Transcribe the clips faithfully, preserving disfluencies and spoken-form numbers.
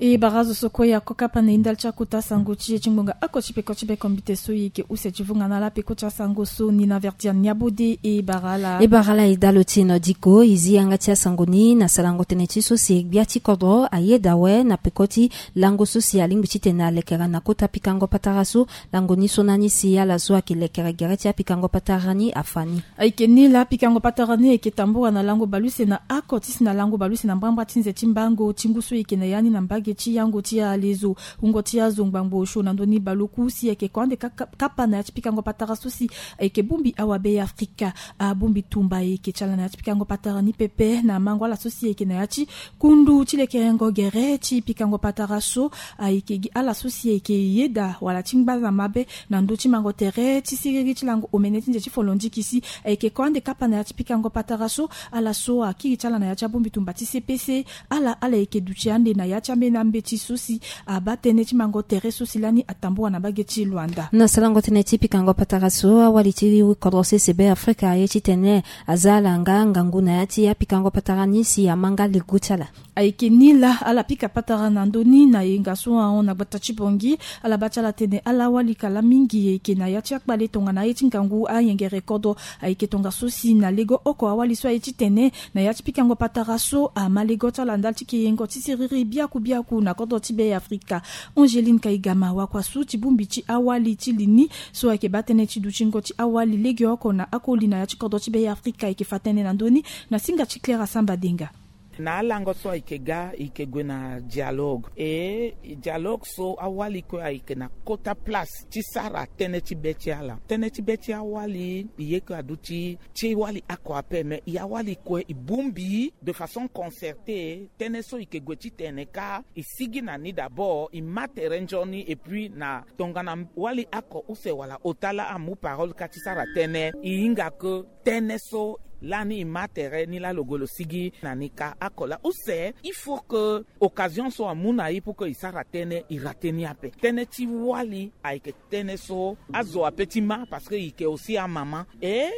E bara azo so kue ya ko kapa na e ndali ti akota sango ti e ti ngbonga oko ti peko ti bekombite so e yeke use ti vunga na ala peko ti asango so ni na Verdiane Niabode. E bara ala. E bara ala e dalo ti e na diko e zi yanga ti asango ni na sarango tënë ti so si gbia ti kodro ayeda awe na peko ti lango so si alingbi titene alekere na kota pikango patara so. Lango ni so na ni si ala so ayeke lekere gere ti apikango patara ni afa ni. Ayeke ni laa apikango patara ni ayeke tambula na lango baleuse na oko ti si na lango baleuse na mbrambra ti nze ti mbango ti ngu so e yeke na ya ni na mbage ti yango ti alezo wungo ti azo ngbangbo osio na ndoni baleoku si ayeke ko ande ka- ka- kapa na ya ti pikango patara so si ayeke bongbi awabe ya Afrika. Abongbi tumba ayeke ti ala na ya ti pikango patara ni pepe na mango ala so si ayeke na ya ti kundu ti lekerengo gere ti pikango patara so. Ayeke gi ala so si ayeke yeda wala ti ngba na mabe na ndö ti mango tere ti siriri ti lango omene ti nze ti folondiki si ayeke ko ande kapa na ya ti pikango patara so. Ala so akiri ti ala na ya ti abongbi tumba ti C P C, ala ala yeke duti ande na ya ti ambeni ambeti so si abaa tënë ti mango tere so si lani atambula na mbage ti Luanda. Na sarango tënë ti pikango patara so, awali ti kodro sese Beafrika aye titene aza ala nga ngangu na ya ti apikango patara ni si ama nga lego ti ala. Ayeke ni laa ala pika patara na ndö ni na yenga so ahon na gbata ti Bangui. Ala baa ti ala tene ala wali kala mingi ayeke na ya ti akpale tongana aye ti ngangu ayengere kodro. Ayeke tongaso si na lego oko awali so aye titene na ya ti pikango patara so ama lego ti ala ndali ti keyengo ti siriri biaku biaku na kodro ti Beafrika. Angeline Kaigama wakua su ti bongbi ti awali ti li ni so ayeke baa tënë ti dutingo ti awali legeoko na akoli na ya ti kodro ti Beafrika ayeke fa tënë na ndö ni na singa ti Claire Asamba Denga. Na alango so ayeke ga e yeke gue na dialogue e dialogue so awali kue ayeke na kota place ti sara tënë ti be ti ala. Tënë ti be ti awali e ye kue aduti ti wali oko ape, mais e awali kue e bongbi de façon concertée. Tënë so e yeke gue titene kâ e sigi na ni d'abord e ma tere nzoni et puis na tongana wali oko use wala ota laa amu parole kâ ti sara tënë e hinga ke tënë so lani e ma tere ni laa lo gue lo sigi na ni kâ oko laa use. Il faut que occasion so amu na e pour que e sara tënë e rate ni ape. Tënë ti wali ayeke tënë so azo ape ti ma parce que e yeke aussi amama. Et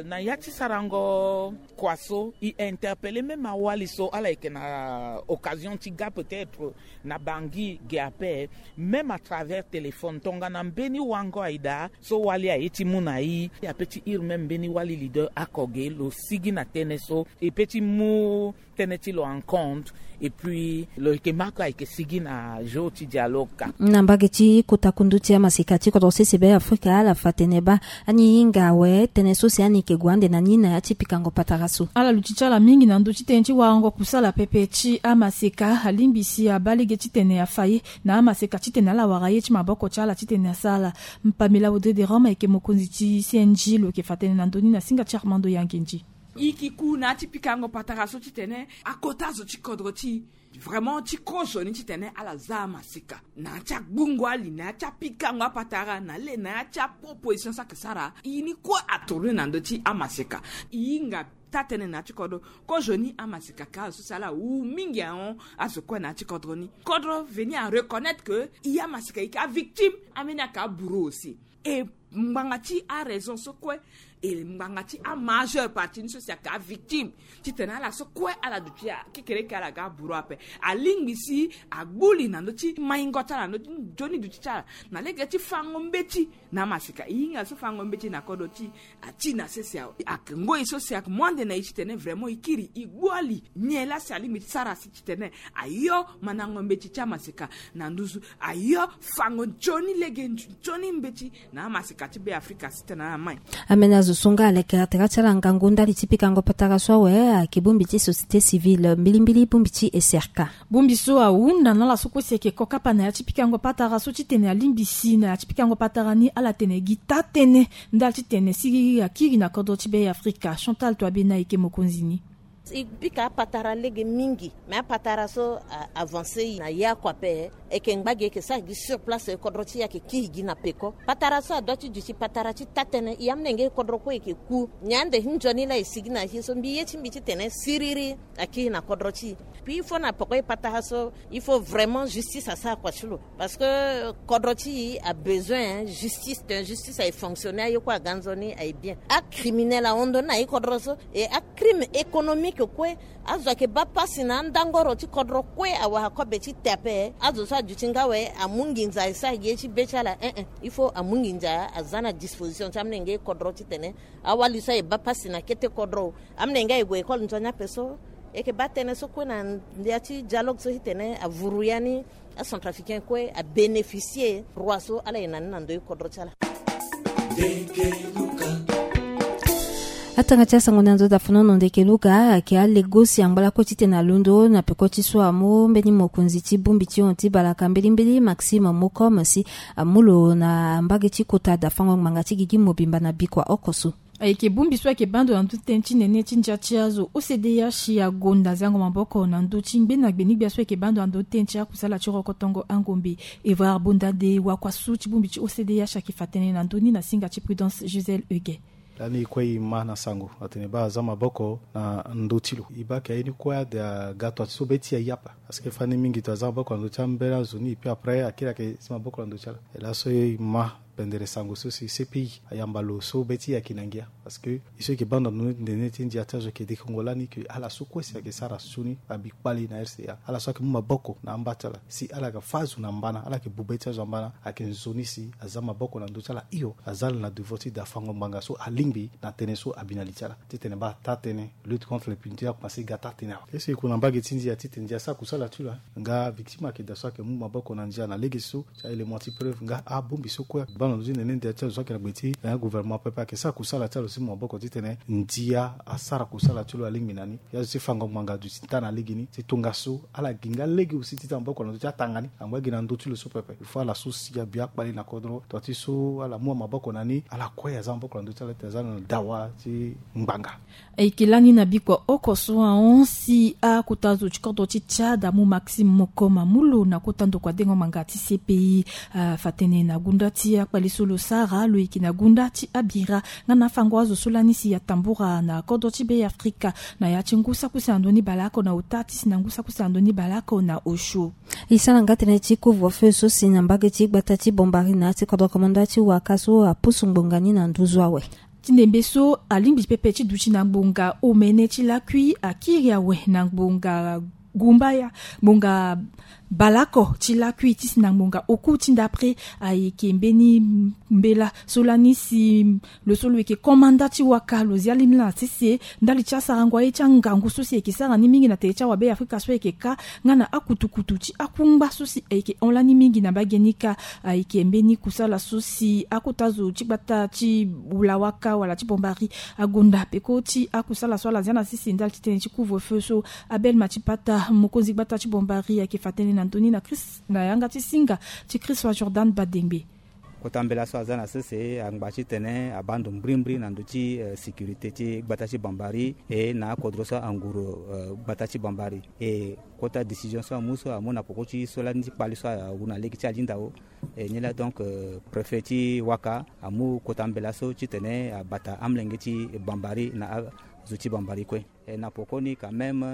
na ya ti sarango kua so e interpellé même awali so ala yeke na occasion ti ga peut-être na Bangui ge ape, même à travers téléphone tongana mbeni wango aye daa so wali aye ti mu na e ape ti hire même mbeni wali leader oko ge lo sigi na tënë so e pe ti mu tënë ti lo en compte. Et puis lo yeke ma kue ayeke sigi na jour ti dialogue kâ. Na mbage ti kota kundu ti amaseka ti kodro sese Beafrika ala fa tene baa ani hinga awe tënë so si ani yeke gue ande na ni na ya ti pikango patara so. Ala luti ti ala mingi na ndö ti tënë ti warango kusala pepe ti amaseka alingbi si abaa lege titene afa ye na amaseka titene ala wara ye ti maboko ti ala titene asara. Pamela Audrey de Rome ayeke mokonzi ti C N J lo yeke fa tënë na ndö ni na singa ti Armando Yangenji. E yeke ku na ya ti pikango patara so titene akota zo ti kodro ti e vraiment ti kozo ni titene ala za amaseka na ya ti agbungo ali na ya ti apikango apatara na le na ya ti aproposition so ayeke sara. E ni kue atourné na ndö ti amaseka. E hinga taa-tënë na ya ti kodro kozoni amaseka kâ azo so si ala wu mingi ahon azo kue na ya ti kodro ni. Kodro veni areconnaître que e amaseka e yeke avictime ambeni ayeke abourreau aussi. E ngbanga ti araison so kue e ngbanga ti amajeure partie ni so si ayeke avictime titene ala so kue ala duti kekereke ala ga abourreau ape. Alingbi si agbu li na ndö ti maingo ti ala na ndö ti nzoni duti ti ala na lege ti fango mbeti na amaseka. E hinga so fango mbeti na kodro ti e ati na sese awe. Ayeke ngoi so si ayeke mu ande na e titene vraiment e kiri e gbu ali nyen laa si alingbi ti sara si titene ayo mandango mbeti ti amaseka na nduzu ayo fango nzoni lege nzoni mbeti na amaseka ti Beafrika si tene ala mai. Ambeni azo so nga alekere tere ti ala ngangu ndali ti pikango patara so awe ayeke bongbi ti société civile mbilimbili bongbi ti S R K. Bongbi so ahunda na ala so kue si ayeke ko kapa na ya ti pikango patara so titene alingbi si na ya ti pikango patara ni ala tene gi taa-tënë ndali titene siriri akiri na kodro ti Beafrika. Chantal Touabéna ayeke mokonzi ni. E pika apatara lege mingi me apatara so avancé e na ye oko ape. E yeke ngba gi e yeke sara gi sur place kodro ti e ayeke kiri gi na peko. Patara so adua ti duti patara ti taa-tënë e amolenge kodro kue e yeke ku nyen ande ti nzoni laa e sigi na ye so mbi ye ti mbi titene siriri akiri na kodro ti e. Puis il faut na peko e patara so il faut vraiment justice asara kua ti lo. Parce que kodro ti e abesoin justice titene justice aye fonctionner aye kue aga nzoni aye bien. Acriminel ahon ndoni na e kodro so. E acrime économique Ke kue azo ayeke baa pasi na andangoro ti kodro kue awara kobe ti te ape. Azo so aduti nga awe amu nginza e sara gi ye ti be ti ala. Ee, il faut amu nginza aza na disposition ti amolenge kodro titene awali so aye baa pasi na kete kodro. Amolenge aye gue école nzoni ape so e yeke baa tënë so kue na ndia ti dialogue so titene avuru ya ni acentrafricain kue abénéficier droit so ala ye na ni na ndö ti kodro ti ala. Atanga ti asango na nzo dafonono ndeke luka ayeke alegosi angba lakue titene alondo na peko ti so amu mbeni mokonzi ti bongbi ti hon ti balaka mbilimbili Maxime Mocom si amu lo na mbage ti kota dafango ngbanga ti gigi mobimba na bikua oko so. Ayeke bongbi so ayeke baa ndo na ndö ti tënë ti nene ti ndia ti azo O C D H agonda zango maboko na ndö ti ngbene gbeni-gbia so ayeke baa ndo na ndö ti tënë ti akusala ti rokotongo angombe. Evrard Bondade wakua so ti bongbi ti O C D H ayeke fa tënë na ndö ni na singa ti Prudence Gisèle Huguet. Lani e kue e ma na sango atene baa aza maboko na ndö ti lo. E baa ayeke aye ni kue ade aga toa ti so be ti e aye apa. Parce que fani mingi to aza maboko na ndö ti ambeni azo ni et puis après akiri ayeke zi maboko na ndö ti ala. E laso e ma pendere sango so si C P I ayamba lo so be ti e ayeke na ngia. Parce que e so e yeke baa ndo na ndö ti nene ti ndia ti azo ayeke dekongo lani ke ala so kue si ayeke sara sioni abi kpale na R C A, ala so ayeke mu maboko na amba ti ala si ala yeke fâ azo na mbana, ala yeke bu be ti azo na mbana, ayeke nzoni si aza maboko na ndö ti ala hio. Aza ala na devoir ti dafango ngbanga so alingbi na tënë so abi na li ti ala titene baa taa-tënë lutte contre l'impunité akomanse ga taa-tënë awe. Ye so e ku na mbage ti ndia titene ndia asara kusala ti lo. Nga victime ayeke daa so ayeke mu maboko na ndia na lege so ti a-élément ti preuve nga abongbi so kue baa na ndö ti nene ndia ti azo so ayeke na gbe ti gouvernement pepe ayeke sara kusala ti ala si mu maboko titene ndia asara kusala ti lo alingbi na ni. Ya zo ti fango ngbanga aduti nda na legeni ti tongaso ala gi nga lege aussi ti za maboko na ndö ti atanga ni angba gi na ndö ti lo so pepe. Il faut ala so si abi akpale na kodro toa ti so ala mu amaboko na ni ala kue aza maboko na ndö ti ala ti aza na dawa ti ngbanga. Ayeke lani na bikua oko so ahon si akota zo ti kodro ti Tchad amu Maxime Mocom amu lo na kota ndokua dengo ngbanga ti C P I. Afa tënë na gunda ti akpale so lo sara lo yeke na gunda ti abira nga na afango azo so lani si atambura na kodro ti Be Afrika na ya ti ngu saki use na ndoni baleoko na ota ti si na ngu saki use na ndoni baleoko na osio. E sara nga tënë ti couvre-feu so si na mbage ti gbata ti Bombari na ya ti kodro komanda ti waka so apusu ngbonga ni na nduzu awe. Ti ndembe so alingbi pepe ti duti na ngbonga omene ti lakui akiri awe na ngbonga gumbaya ngbonga baleoko ti lakui ti si na ngbonga oku ti ndapre. Ayeke mbeni mbela so lani si lo so lo yeke komanda ti waka lo zia lini na sese ndali ti asarango aye ti angangu so si ayeke sara ni mingi na tere ti awabe Afrika so ayeke ka nga na akutukutu ti akungba so si ayeke hon lani mingi na mbage ni kâ. Ayeke mbeni kusala so si akota zo ti gbata ti wulawaka wala ti Bombari agonda peko ti akusala so ala zia na sese ndali ti tënë ti couvre-feu so. Abel Matipata mokonzi gbata ti Bombari ayeke fa tënë na ndö ni na Chris na yanga ti singa ti Chris wa Jordan Badengbe. Kota mbela so aza na sese angba titene abaa ndo mbrimbri na ndö ti sécurité ti gbata ti Bombari e na akodro so anguru gbata ti Bombari. E kota décision so amu so amu na poko ti so lani ti kpale so awu na lege ti alinda o. E nilaa donc préfet ti waka amu kota mbela so titene abata amolenge ti Bombari na azo ti Bombari kue. E na poko ni quand même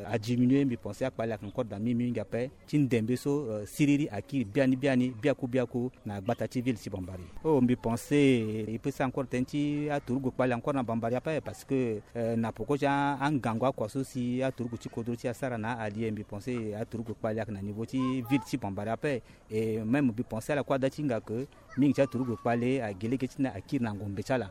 adiminuer mbi pense akpale ayeke encore da mingi mingi ape. Ti ndembe so siriri akiri biani biani biaku biaku na gbata ti ville ti Bombari. Oh mbi pense e peut sara encore tënë ti aturugu kpale encore na Bombari ape parce que na poko ti angangu akua so si aturugu ti kodro ti asara na alie mbi pense aturugu kpale ayeke na niveau ti ville ti Bombari ape. E même mbi pense ala kue ada ti hinga ke mingi ti aturugu kpale agi lege ti na akiri na ngombe ti ala.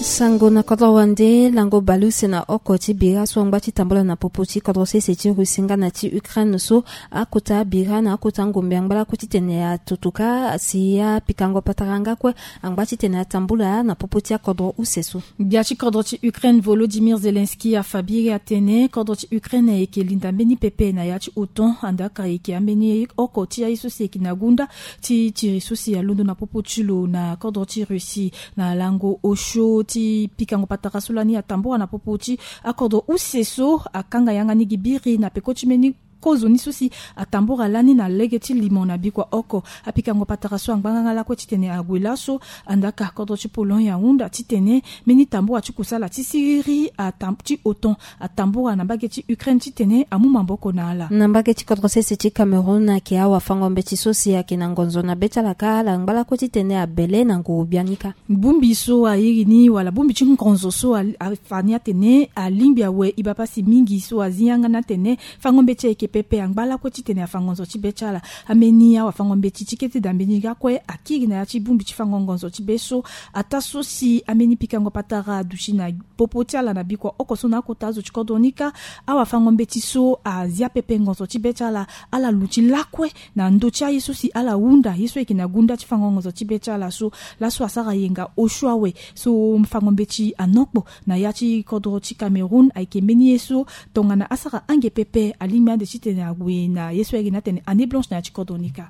Sango na kodro wande lango baleuse na oko ti bira so angba ti tambula na popo ti kodro sese ti Russie nga na ti Ukraine so akota bira na akota ngombe angba lakue titene atutuka si apikango patara nga kue angba titene atambula na popo ti akodro use so. Gbia ti kodro ti Ukraine Volodymyr Zelensky afa biri atene kodro ti Ukraine ayeke linda mbeni pepe na ya ti otan andaka ayeke ambeni oko ti aye so si ayeke na gunda ti tiri so si alondo na popo ti lo na kodro ti Russie na lango osio ti pikango patara so lani atambora na popo ti akodro use so akanga yanga ni gi biri na peko ti mbeni kozo ni so si atambura lani na lege ti limo na bikua oko. Apikango patara so angbanga nga lakue titene ague laso, andaka kodro ti Pologne ahunda titene mbeni tambura ti kusala ti siriri atam- ti otan atambura na mbage ti Ukraine titene amu maboko na ala. Na mbage ti kodro sese ti Cameroun, ayeke awafango-mbeti so si ayeke na ngonzo na be ti ala kâ ala ngba lakue titene abele na nguru biani kâ. Bongbi so airi ni wala bongbi ti ngonzo so a- afa ni atene alingbi awe e baa pasi mingi so azi yanga ni atene fango-mbeti ayeke pepe, angba lakue titene afa ngonzo ti be ti ala. Ambeni awafango-mbeti ti kete dambe ni lakue akiri na ya ti bongbi ti fango ngonzo ti be so, ataa so si ambeni pikango patara aduti na popo ti ala na bikua oko so na akota azo ti kodro ni kâ. Awafango-mbeti so azia pepe ngonzo ti be ti ala, ala luti lakue na ndö ti aye so si ala hunda, ye so ayeke na gunda ti fango ngonzo ti be ti ala so. Laso asara yenga osio awe so fango-mbeti anokpo na ya ti kodro ti Cameroun, ayeke mbeni ye so tongana asara ange pepe, alingbi ande titene ague na ye so ayeke na atene année blanche na ya ti kodro ni kâ.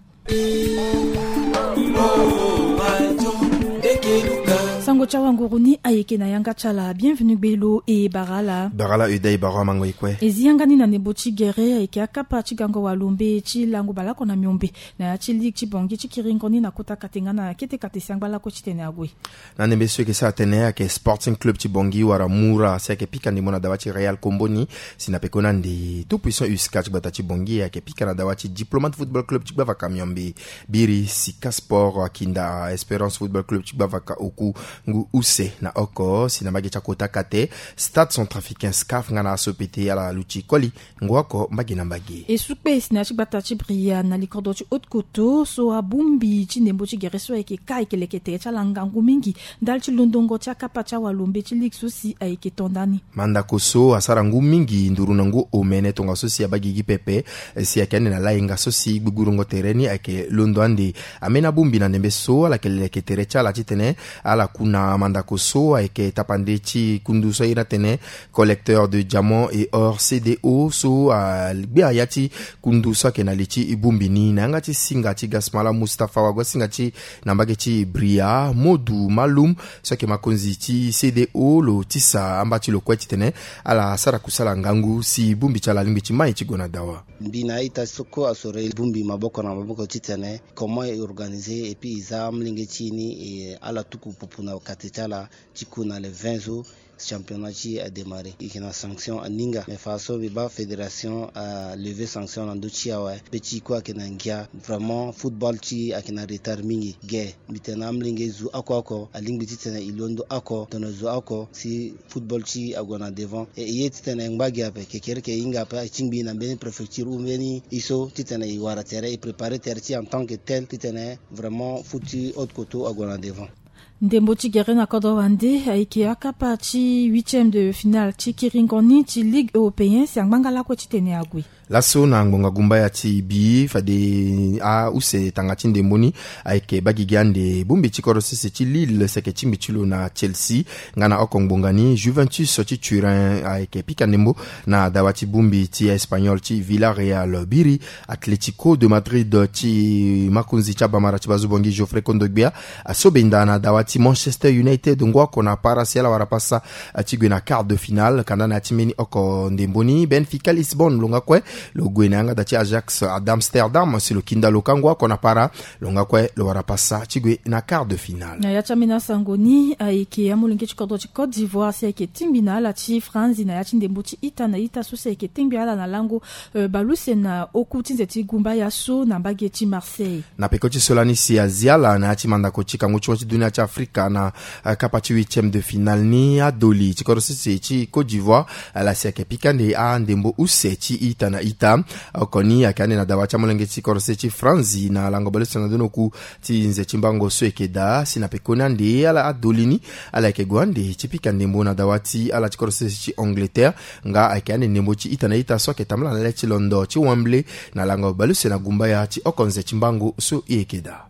Sango ti awanguru ni ayeke na yanga ti ala. Bienvenu gbelo e bara ala. Bara ala e dä e bara amango e kue. E zi yanga ni na ndembo ti gere ayeke akapa ti gango walombe ti lango baleoko na miombe na ya ti ligue ti Bangui ti kiringo ni na kota kate nga na kete kate si angba lakue titene ague. Na ndembe so e yeke sara tënë ayeke Sporting Club ti Bangui wala Mura si ayeke pika ndembo na dawa ti Real Kombo ni, si na pekoni ande Tout Puissant U S K ti gbata ti Bangui ayeke pika na dawa ti Diplomate Football Club ti gbavaka miombe. Biri Sika Sport akinda Espérance Football Club ti gbavaka oku ngu use na oko, si na mbage ti akota kate Stade Centrafricain, SCAF, nga na aso pete ala luti koli ngu oko mbage na mbage. E su kpe si na ya ti gbata ti Bria na likodro ti Haute-Kotto so abongbi ti ndembo ti gere so ayeke kâ ayeke leke tere ti ala ngangu mingi ndali ti londongo ti akapa ti awalombe ti ligue so si ayeke to ndani. Mandako so asara ngu mingi nduru na ngu omene tongaso si abaa gigi pepe, si ayeke ande na layenga so si gbugburu ngo tere ni ayeke londo ande. Ambeni abongbi na ndembe so ala yeke leke tere ti ala titene ala ku na mandako so ayeke tapande ti kundu so aye ni atene Collecteur de Diamants et Or, C D O, so agbia ya ti kundu so ayeke na li ti bongbi ni na yanga ti singa ti Gasmala Mustapha, wago asinga ti na mbage ti Bria, Modu Malum, so ayeke makonzi ti C D O, lo tisa amba ti lo kue titene ala sara kusala ngangu si bongbi ti ala alingbi ti mai ti gue na dawa. Mbi na a-ita so kue asoro e bongbi maboko na maboko titene comment e organiser et puis e za amolenge ti e ni, e ala tuku pupu na kate ti ala ti ku na le vingt so championnat ti e adémarrer. E yeke na sanction aninga, mais fa so mbi baa fédération alever sanction na ndö ti e awe. Be ti e kue ayeke na ngia. Vraiment football ti e ayeke na retard mingi ge. Mbi tene na amolenge zo oko oko alingbi titene e londo oko, tongana zo oko si football ti e ague na devant. E, e ye titene e ngba gi ape, kekereke e hinga ape, e tingbi na mbeni préfecture ou mbeni ye so titene e wara tere, e préparer tere ti e en tant que tel titene vraiment foot ti Haute-Kotto ague na devant. Ndembo ti gere na kodro wande ayeke akapa ti huitième de finale ti kiringo ni ti Ligue européen si angbanga lakue titene ague. Laso na ngbonga gumbaya ti bi fade ause tanga ti ndembo ni ayeke baa gigi ande bongbi ti kodro sese ti Lille si ayeke tingbi ti lo na Chelsea, nga na oko ngbonga ni Juventus ti Turin ayeke pika ndembo na dawa ti bongbi ti Espagnol ti Villarreal. Biri Atlético de Madrid ti makonzi ti abamara ti bazo Bangui Geoffrey Kondogbia aso benda na dawa ti Manchester United ngu oko na para si ala wara pasa ti gue na quart de finale. Kanda na ya ti mbeni oko ndembo ni Benfica Lisbonne lo nga kue lo gue na yanga da ti Ajax d'Amsterdam si lo kinda lo kâ ngu oko na para, lo nga kue lo wara pasa ti gue na quart de finale. Na ya ti ambeni asango ni ayeke amolenge ti kodro ti Côte d'Ivoire si ayeke tingbi na ala ti Franzi na ya ti ndembo ti ita na ita so si ayeke tengbi ala na lango, euh, baleuse na oku ti nze ti gumbaya so na mbage ti Marseille. Na peko ti so lani si azi ala na ya ti mandako ti kangu ti wa ti dunia ti Afrika na, eh, kapa ti huitième de finale ni, adoli ti kodro sese ti Côte d'Ivoire ala si ayeke pika ande andembo use ti ita na ita. Oko ni ayeke ande na dawa ti amolenge ti kodro sese ti Franzi na lango baleuse na ndonoku ti nze ti mbango so ayeke daa si na pekoni ande ala adoli ni ala yeke gue ande ti pika ndembo na dawa ti ala ti kodro sese ti Angleterre. Nga ayeke ande ndembo ti ita na ita so ayeke tambula na le ti londo ti Wembley na lango baleuse na gumbaya ti oko nze ti mbango so e yeke daa.